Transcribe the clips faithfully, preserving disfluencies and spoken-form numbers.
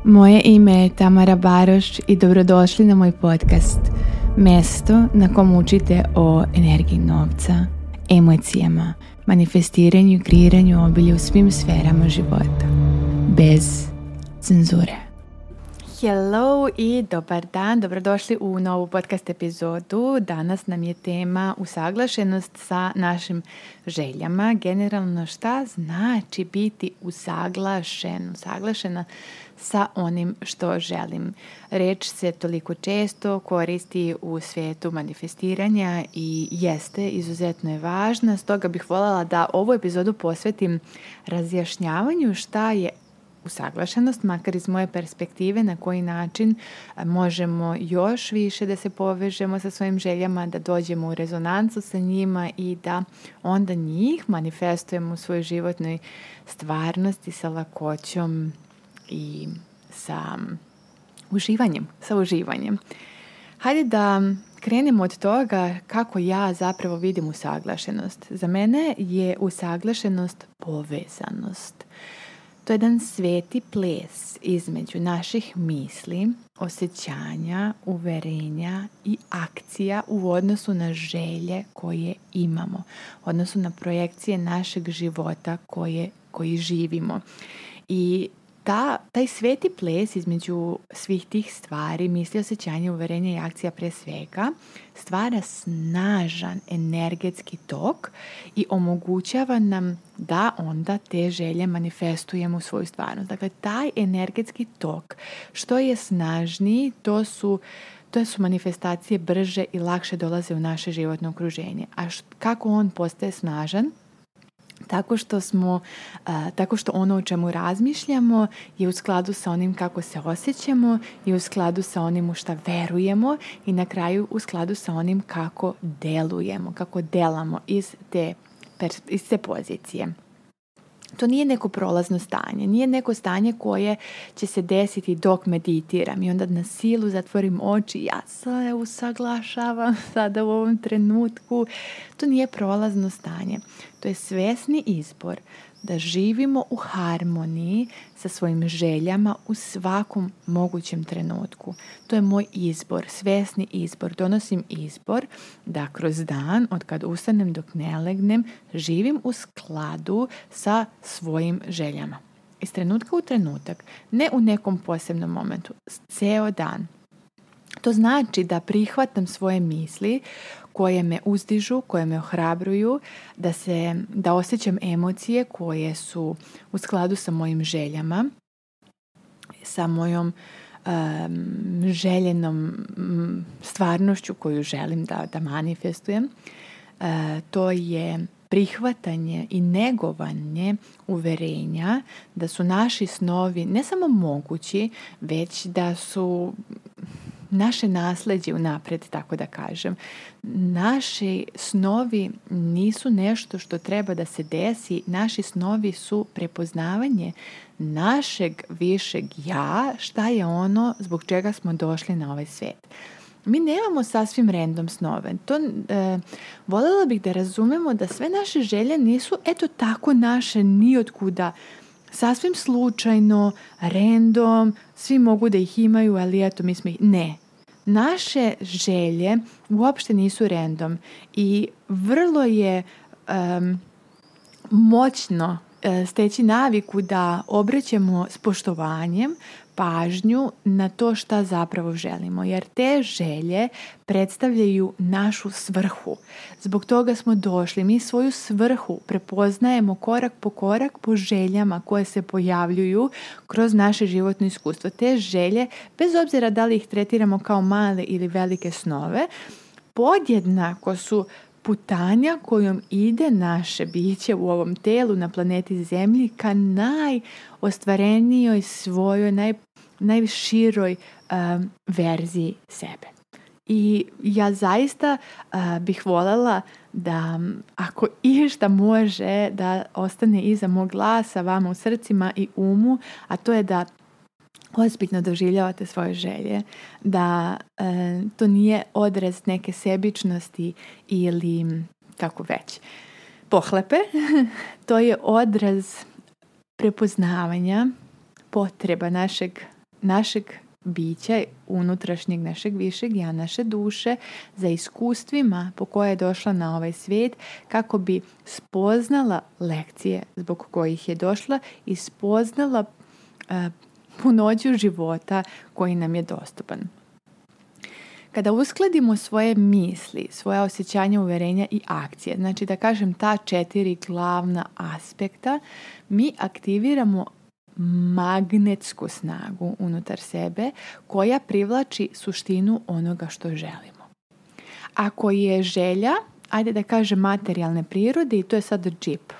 Moje ime je Tamara Baroš i dobrodošli na moj podcast, mjesto na kom učite o energiji novca, emocijama, manifestiranju i kreiranju obilja u svim sferama života, bez cenzure. Hello i dobar dan, dobrodošli u novu podcast epizodu. Danas nam je tema usaglašenost sa našim željama. Generalno šta znači biti usaglašen, usaglašena sa onim što želim. Reč se toliko često koristi u svijetu manifestiranja i jeste, izuzetno je važna. Stoga bih voljela da ovu epizodu posvetim razjašnjavanju šta je usaglašenost, makar iz moje perspektive, na koji način možemo još više da se povežemo sa svojim željama, da dođemo u rezonancu sa njima i da onda njih manifestujemo u svojoj životnoj stvarnosti sa lakoćom i sa uživanjem, sa uživanjem. Hajde da krenemo od toga kako ja zapravo vidim usaglašenost. Za mene je usaglašenost povezanost. To je jedan sveti ples između naših misli, osjećanja, uverenja i akcija u odnosu na želje koje imamo, u odnosu na projekcije našeg života koje, koji živimo. I ta, taj sveti ples između svih tih stvari, misli, osjećanja, uverenja i akcija pre svega, stvara snažan energetski tok i omogućava nam da onda te želje manifestujemo u svoju stvarnost. Dakle, taj energetski tok, što je snažniji, to su To su manifestacije brže i lakše dolaze u naše životno okruženje. A št, kako on postaje snažan? Tako što smo, uh, tako što ono o čemu razmišljamo je u skladu sa onim kako se osjećamo i u skladu sa onim u šta verujemo i na kraju u skladu sa onim kako delujemo, kako delamo iz te, iz te pozicije. To nije neko prolazno stanje, nije neko stanje koje će se desiti dok meditiram i onda na silu zatvorim oči, ja se usaglašavam sada u ovom trenutku. To nije prolazno stanje, to je svjesni izbor da živimo u harmoniji sa svojim željama u svakom mogućem trenutku. To je moj izbor, svjesni izbor. Donosim izbor da kroz dan, od kad ustanem dok ne legnem, živim u skladu sa svojim željama. Iz trenutka u trenutak, ne u nekom posebnom momentu, ceo dan. To znači da prihvatam svoje misli koje me uzdižu, koje me ohrabruju, da, se, da osjećam emocije koje su u skladu sa mojim željama, sa mojom um, željenom um, stvarnošću koju želim da, da manifestujem. Uh, to je prihvatanje i negovanje uverenja da su naši snovi ne samo mogući, već da su naše nasleđe unapred, tako da kažem. Naši snovi nisu nešto što treba da se desi. Naši snovi su prepoznavanje našeg višeg ja, šta je ono zbog čega smo došli na ovaj svijet. Mi nemamo sasvim random snove. To, e, voljela bih da razumemo da sve naše želje nisu eto tako naše nijotkuda, sasvim slučajno, random, svi mogu da ih imaju, ali eto mi smo ih... Ne. Naše želje uopšte nisu random i vrlo je um, moćno uh, steći naviku da obraćamo s poštovanjem pažnju na to šta zapravo želimo, jer te želje predstavljaju našu svrhu. Zbog toga smo došli. Mi svoju svrhu prepoznajemo korak po korak po željama koje se pojavljuju kroz naše životno iskustvo. Te želje, bez obzira da li ih tretiramo kao male ili velike snove, podjednako su putanja kojom ide naše biće u ovom telu na planeti Zemlji ka najostvarenijoj svojoj, naj, najširoj um, verziji sebe. I ja zaista uh, bih voljela da ako išta može da ostane iza mog glasa vama u srcima i umu, a to je da ozbiljno doživljavate svoje želje, da e, to nije odraz neke sebičnosti ili kako već pohlepe, to je odraz prepoznavanja potreba našeg našeg bića, unutrašnjeg našeg višeg ja, naše duše, za iskustvima po koje je došla na ovaj svijet, kako bi spoznala lekcije zbog kojih je došla i spoznala uh, punoću života koji nam je dostupan. Kada uskladimo svoje misli, svoja osjećanja, uverenja i akcije, znači da kažem ta četiri glavna aspekta, mi aktiviramo magnetsku snagu unutar sebe koja privlači suštinu onoga što želimo. Ako je želja, ajde da kažem materijalne prirode, i to je sad džip.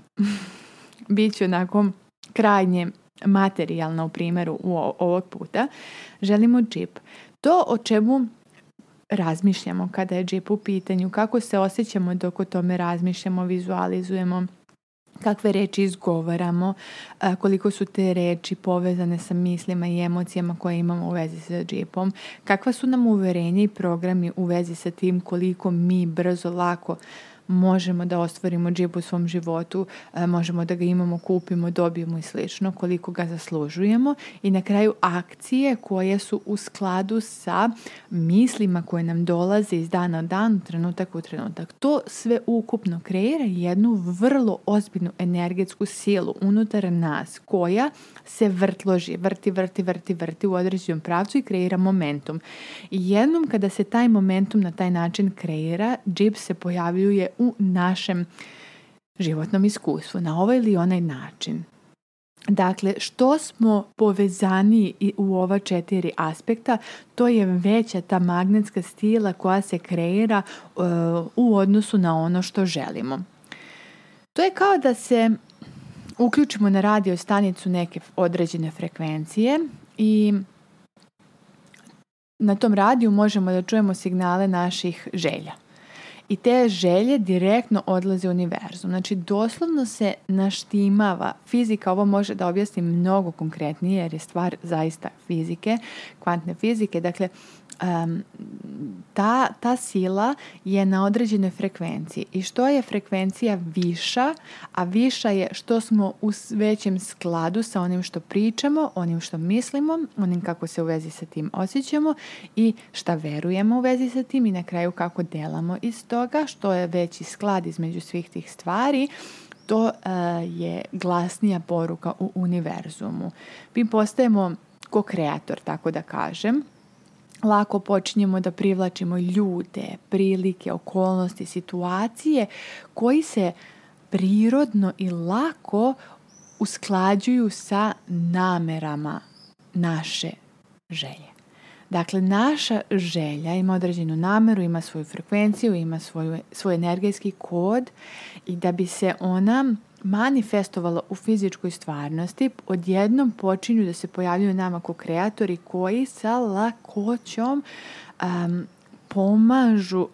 Biću onako krajnje materijalna u primjeru ovog puta. Želimo džip. To o čemu razmišljamo kada je džip u pitanju, kako se osjećamo dok o tome razmišljamo, vizualizujemo, kakve reči izgovaramo, koliko su te reči povezane sa mislima i emocijama koje imamo u vezi sa džipom, kakva su nam uverenja i programi u vezi sa tim koliko mi brzo, lako možemo da ostvarimo džip u svom životu, možemo da ga imamo, kupimo, dobijemo i slično, koliko ga zaslužujemo, i na kraju akcije koje su u skladu sa mislima koje nam dolaze iz dana u dan, trenutak u trenutak. To sve ukupno kreira jednu vrlo ozbiljnu energetsku silu unutar nas koja se vrtloži, vrti, vrti, vrti, vrti u određenom pravcu i kreira momentum. I jednom kada se taj momentum na taj način kreira, džip se pojavljuje u našem životnom iskustvu na ovaj ili onaj način. Dakle, što smo povezani u ova četiri aspekta, to je veća ta magnetska stila koja se kreira uh, u odnosu na ono što želimo. To je kao da se uključimo na radio stanicu neke određene frekvencije i na tom radiju možemo da čujemo signale naših želja. I te želje direktno odlaze u univerzum. Znači, doslovno se naštimava. Fizika ovo može da objasni mnogo konkretnije jer je stvar zaista fizike, kvantne fizike. Dakle, um, ta, ta sila je na određenoj frekvenciji. I što je frekvencija viša, a viša je što smo u većem skladu sa onim što pričamo, onim što mislimo, onim kako se u vezi sa tim osjećamo i šta verujemo u vezi sa tim i na kraju kako delamo iz toga, što je veći sklad između svih tih stvari, to uh, je glasnija poruka u univerzumu. Mi postajemo ko-kreator, tako da kažem. Lako počinjemo da privlačimo ljude, prilike, okolnosti, situacije koji se prirodno i lako usklađuju sa namerama naše želje. Dakle, naša želja ima određenu nameru, ima svoju frekvenciju, ima svoju, svoj energetski kod i da bi se ona manifestovala u fizičkoj stvarnosti, odjednom počinju da se pojavljuju nama kao kreatori koji sa lakoćom um, pomažu,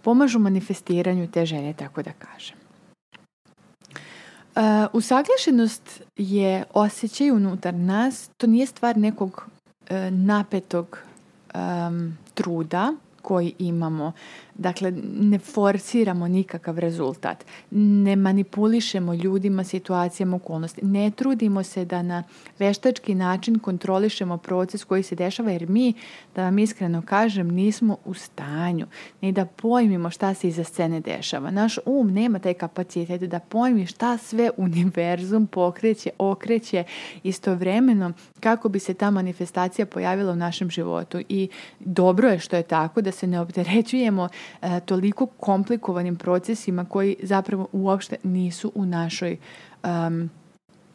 pomažu manifestiranju te želje, tako da kažem. Uh, usaglašenost je osjećaj unutar nas, to nije stvar nekog uh, napetog um, truda koji imamo. Dakle, ne forsiramo nikakav rezultat. Ne manipulišemo ljudima, situacijama, okolnosti. Ne trudimo se da na veštački način kontrolišemo proces koji se dešava, jer mi, da vam iskreno kažem, nismo u stanju ni da pojmimo šta se iza scene dešava. Naš um nema taj kapacitet da pojmi šta sve univerzum pokreće, okreće istovremeno kako bi se ta manifestacija pojavila u našem životu. I dobro je što je tako, da se ne opterećujemo E, toliko komplikovanim procesima koji zapravo uopšte nisu u našoj um,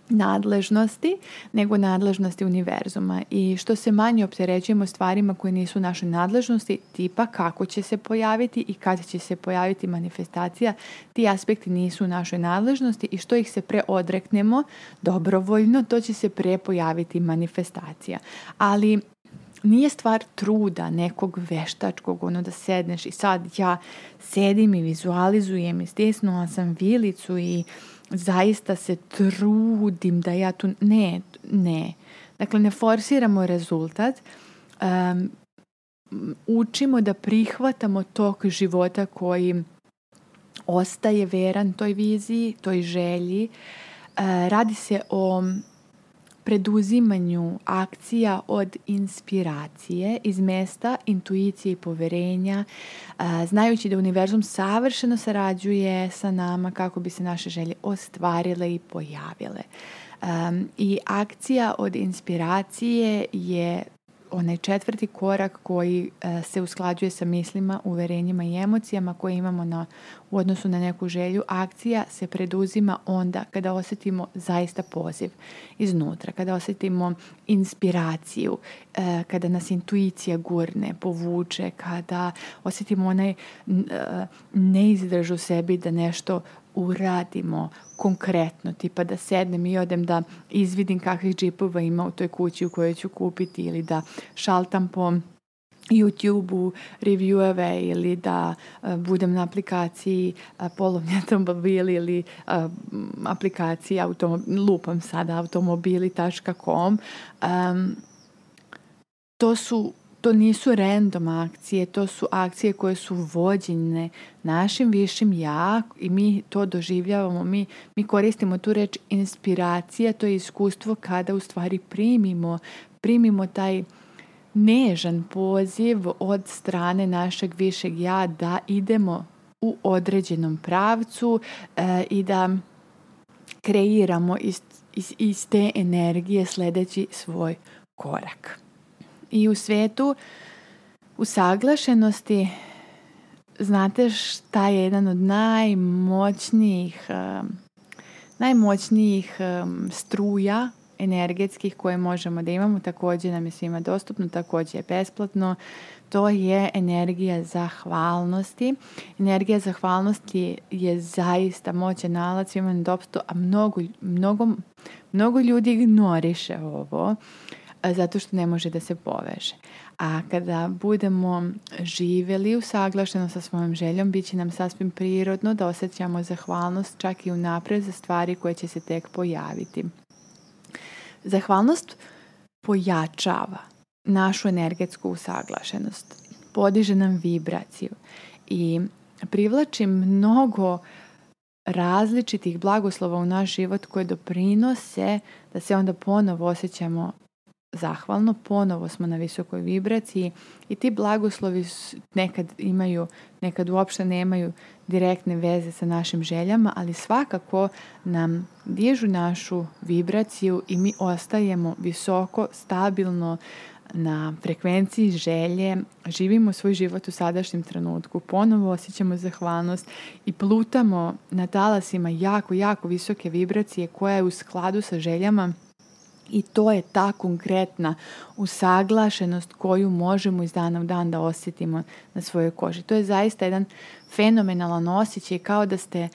nadležnosti, nego nadležnosti univerzuma. I što se manje opterećujemo stvarima koje nisu u našoj nadležnosti, tipa kako će se pojaviti i kada će se pojaviti manifestacija, ti aspekti nisu u našoj nadležnosti i što ih se pre odreknemo dobrovoljno, to će se pre pojaviti manifestacija. Ali nije stvar truda nekog veštačkog, ono da sedneš i sad ja sedim i vizualizujem i stisnula sam vilicu i zaista se trudim da ja tu... Ne, ne. Dakle, ne forsiramo rezultat. Um, učimo da prihvatamo tok života koji ostaje veran toj viziji, toj želji. Uh, radi se o preduzimanju akcija od inspiracije iz mesta intuicije i poverenja, znajući da univerzum savršeno sarađuje sa nama kako bi se naše želje ostvarile i pojavile. Um, I akcija od inspiracije je onaj četvrti korak koji uh, se usklađuje sa mislima, uverenjima i emocijama koje imamo na, u odnosu na neku želju. Akcija se preduzima onda kada osjetimo zaista poziv iznutra, kada osjetimo inspiraciju, uh, kada nas intuicija gurne, povuče, kada osjetimo onaj uh, neizdrž u sebi da nešto uradimo konkretno, tipa da sednem i odem da izvidim kakvih džipova ima u toj kući u kojoj ću kupiti ili da šaltam po YouTube-u revieweve ili da uh, budem na aplikaciji uh, polovni automobili ili uh, aplikaciji automob- lupam sada automobili tačka com. Um, to su To nisu random akcije, to su akcije koje su vođene našim višim ja i mi to doživljavamo, mi, mi koristimo tu reč inspiracija, to je iskustvo kada u stvari primimo, primimo taj nežan poziv od strane našeg višeg ja da idemo u određenom pravcu e, i da kreiramo iz, iz, iz te energije sljedeći svoj korak. I u svetu usaglašenosti, znate šta je jedan od najmoćnijih, um, najmoćnijih um, struja energetskih koje možemo da imamo, također nam je svima dostupno, također je besplatno, to je energija zahvalnosti. Energija zahvalnosti je zaista moćan alat svima na dostupno, a mnogo, mnogo, mnogo ljudi ignoriše ovo, zato što ne može da se poveže. A kada budemo živjeli usaglašeno sa svojom željom, bit će nam sasvim prirodno da osjećamo zahvalnost čak i unaprijed za stvari koje će se tek pojaviti. Zahvalnost pojačava našu energetsku usaglašenost, podiže nam vibraciju i privlači mnogo različitih blagoslova u naš život koje doprinose da se onda ponovo osjećamo zahvalno, ponovo smo na visokoj vibraciji i ti blagoslovi nekad imaju, nekad uopšte nemaju direktne veze sa našim željama, ali svakako nam dižu našu vibraciju i mi ostajemo visoko, stabilno na frekvenciji želje, živimo svoj život u sadašnjem trenutku, ponovo osjećamo zahvalnost i plutamo na talasima jako, jako visoke vibracije koja je u skladu sa željama. I to je ta konkretna usaglašenost koju možemo iz dana u dan da osjetimo na svojoj koži. To je zaista jedan fenomenalan osjećaj, kao da ste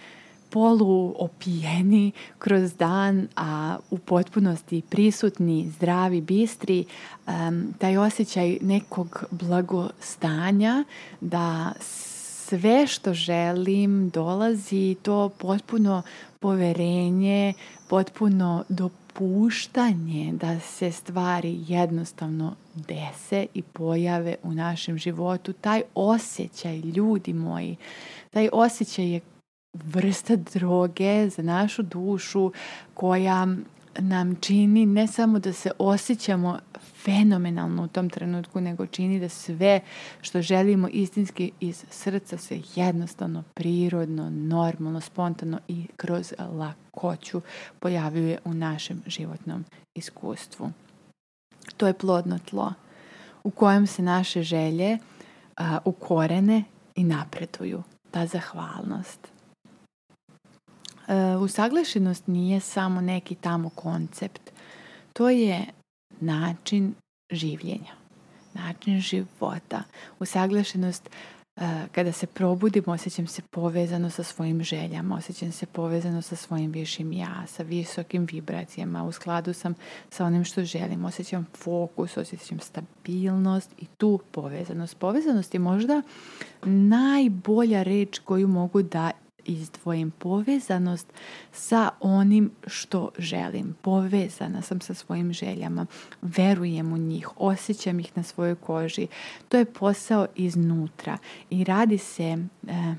poluopijeni kroz dan, a u potpunosti prisutni, zdravi, bistri. Um, taj osjećaj nekog blagostanja, da sve što želim dolazi, to potpuno poverenje, potpuno dopuštanje da se stvari jednostavno dese i pojave u našem životu. Taj osjećaj, ljudi moji, taj osjećaj je vrsta droge za našu dušu koja nam čini ne samo da se osjećamo fenomenalno u tom trenutku, nego čini da sve što želimo istinski iz srca se jednostavno, prirodno, normalno, spontano i kroz lakoću pojavljuje u našem životnom iskustvu. To je plodno tlo u kojem se naše želje a, ukorene i napreduju. Ta zahvalnost. Uh, usaglašenost nije samo neki tamo koncept. To je način življenja, način života. Usaglašenost, uh, kada se probudimo, osjećam se povezano sa svojim željama, osjećam se povezano sa svojim višim ja, sa visokim vibracijama, u skladu sam sa onim što želim, osjećam fokus, osjećam stabilnost i tu povezanost. Povezanost je možda najbolja reč koju mogu da izdvojim. Povezanost sa onim što želim. Povezana sam sa svojim željama. Verujem u njih. Osjećam ih na svojoj koži. To je posao iznutra. I radi se, eh,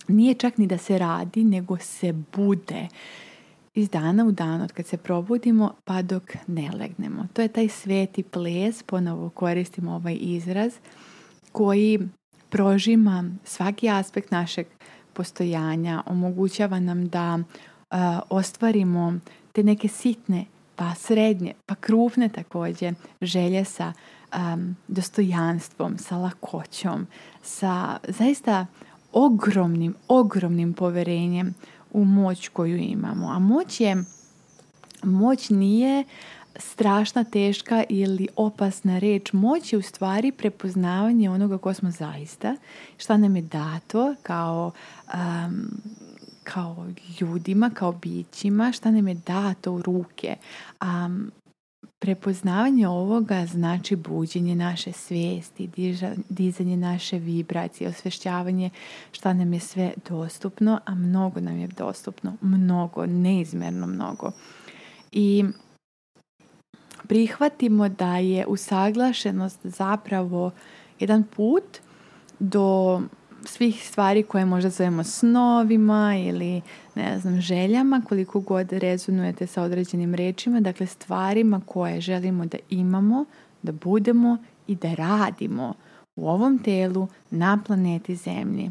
nije čak ni da se radi, nego se bude. iz dana u dan, od kad se probudimo pa dok ne legnemo. To je taj sveti ples, ponovo koristimo ovaj izraz, koji prožima svaki aspekt našeg postojanja, omogućava nam da uh, ostvarimo te neke sitne, pa srednje, pa krupne također želje sa um, dostojanstvom, sa lakoćom, sa zaista ogromnim, ogromnim poverenjem u moć koju imamo. A moć je, moć nije strašna, teška ili opasna reč. Moć je u stvari prepoznavanje onoga ko smo zaista, šta nam je dato kao, um, kao ljudima, kao bićima, šta nam je dato u ruke. Um, prepoznavanje ovoga znači buđenje naše svijesti, diža, dizanje naše vibracije, osvješćavanje šta nam je sve dostupno, a mnogo nam je dostupno, mnogo, neizmjerno mnogo. I prihvatimo da je usaglašenost zapravo jedan put do svih stvari koje možda zovemo snovima ili ne znam, željama, koliko god rezonujete sa određenim rečima, dakle stvarima koje želimo da imamo, da budemo i da radimo u ovom telu na planeti Zemlji.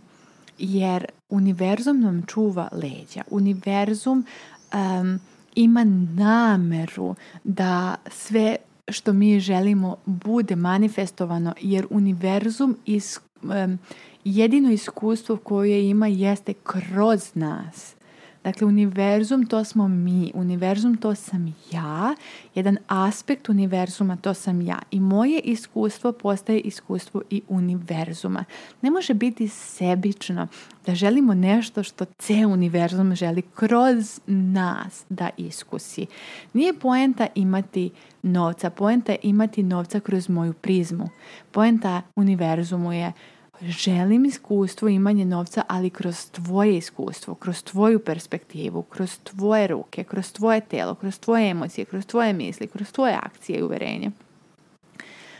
Jer univerzum nam čuva leđa. Univerzum um, ima nameru da sve što mi želimo bude manifestovano, jer univerzum is, um, jedino iskustvo koje ima jeste kroz nas. Dakle, univerzum to smo mi, univerzum to sam ja, jedan aspekt univerzuma to sam ja. I moje iskustvo postaje iskustvo i univerzuma. Ne može biti sebično da želimo nešto što ceo univerzum želi kroz nas da iskusi. Nije poenta imati novca, poenta je imati novca kroz moju prizmu. Poenta univerzumu je želim iskustvo, imanje novca, ali kroz tvoje iskustvo, kroz tvoju perspektivu, kroz tvoje ruke, kroz tvoje telo, kroz tvoje emocije, kroz tvoje misli, kroz tvoje akcije i uverenje.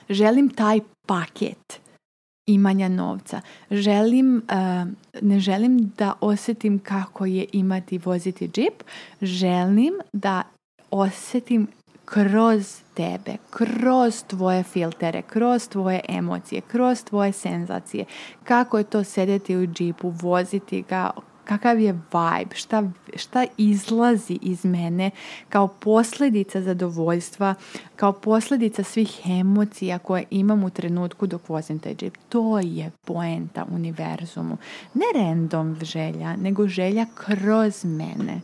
Želim taj paket imanja novca. Želim, uh, ne želim da osjetim kako je imati, voziti džip. Želim da osjetim kroz tebe, kroz tvoje filtere, kroz tvoje emocije, kroz tvoje senzacije. Kako je to sedeti u džipu, voziti ga, kakav je vibe, šta, šta izlazi iz mene kao posljedica zadovoljstva, kao posljedica svih emocija koje imam u trenutku dok vozim taj džip. To je poenta univerzumu. Ne random želja, nego želja kroz mene.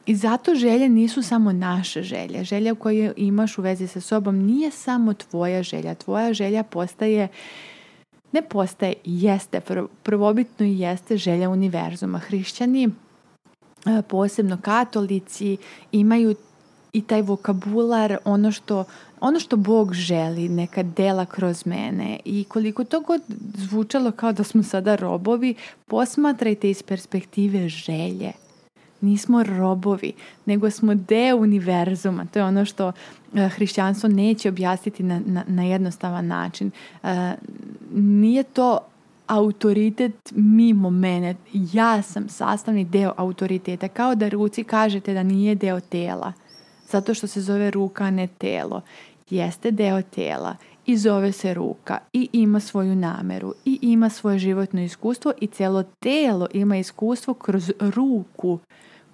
I zato želje nisu samo naše želje. Želja koju imaš u vezi sa sobom nije samo tvoja želja. Tvoja želja postaje, ne postaje, jeste, prvobitno i jeste želja univerzuma. Hrišćani, posebno katolici, imaju i taj vokabular, ono što, ono što Bog želi, neka dela kroz mene. I koliko to god zvučalo kao da smo sada robovi, posmatrajte iz perspektive želje. Nismo robovi, nego smo deo univerzuma. To je ono što hrišćanstvo neće objasniti na, na, na jednostavan način. Uh, nije to autoritet mimo mene. Ja sam sastavni deo autoriteta. Kao da ruci kažete da nije deo tela. Zato što se zove ruka, a ne telo. Jeste deo tela. I zove se ruka. I ima svoju nameru. I ima svoje životno iskustvo. I cijelo telo ima iskustvo kroz ruku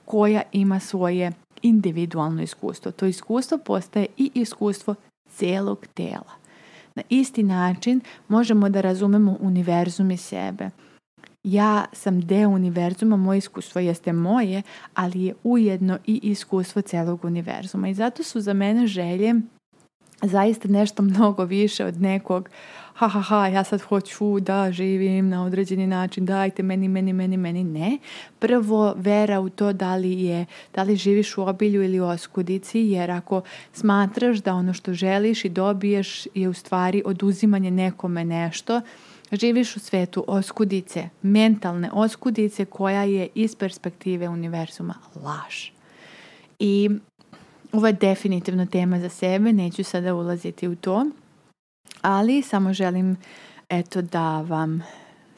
koja ima svoje individualno iskustvo. To iskustvo postaje i iskustvo cijelog tela. Na isti način možemo da razumemo univerzum i sebe. Ja sam deo univerzuma, moje iskustvo jeste moje, ali je ujedno i iskustvo cijelog univerzuma. I zato su za mene želje zaista nešto mnogo više od nekog ha ha ha, ja sad hoću da živim na određeni način, dajte meni, meni, meni, meni, ne. Prvo, vera u to da li je, da li živiš u obilju ili u oskudici, jer ako smatraš da ono što želiš i dobiješ je u stvari oduzimanje nekome nešto, živiš u svetu oskudice, mentalne oskudice koja je iz perspektive univerzuma laž. I ovo je definitivno tema za sebe, neću sada ulaziti u to, ali samo želim eto da vam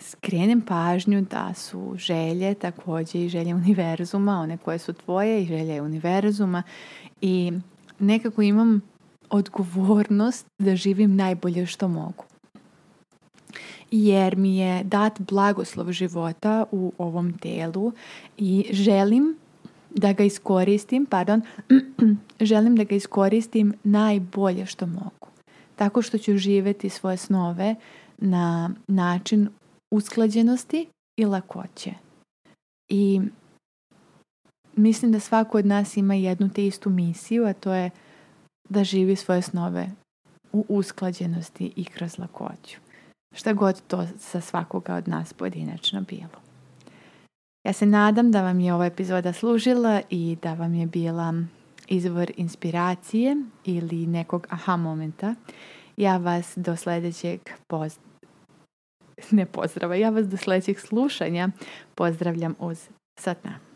skrenem pažnju da su želje također i želje univerzuma, one koje su tvoje i želje univerzuma, i nekako imam odgovornost da živim najbolje što mogu. Jer mi je dat blagoslov života u ovom telu i želim da ga iskoristim, pardon, želim da ga iskoristim najbolje što mogu. Tako što ću živjeti svoje snove na način usklađenosti i lakoće. I mislim da svako od nas ima jednu te istu misiju, a to je da živi svoje snove u usklađenosti i kroz lakoću. Šta god to za svakoga od nas pojedinačno bilo. Ja se nadam da vam je ova epizoda služila i da vam je bila izvor inspiracije ili nekog aha momenta. Ja vas do sljedećeg poz... ne pozdrava, ja vas do sljedećeg slušanja pozdravljam uz Satnam.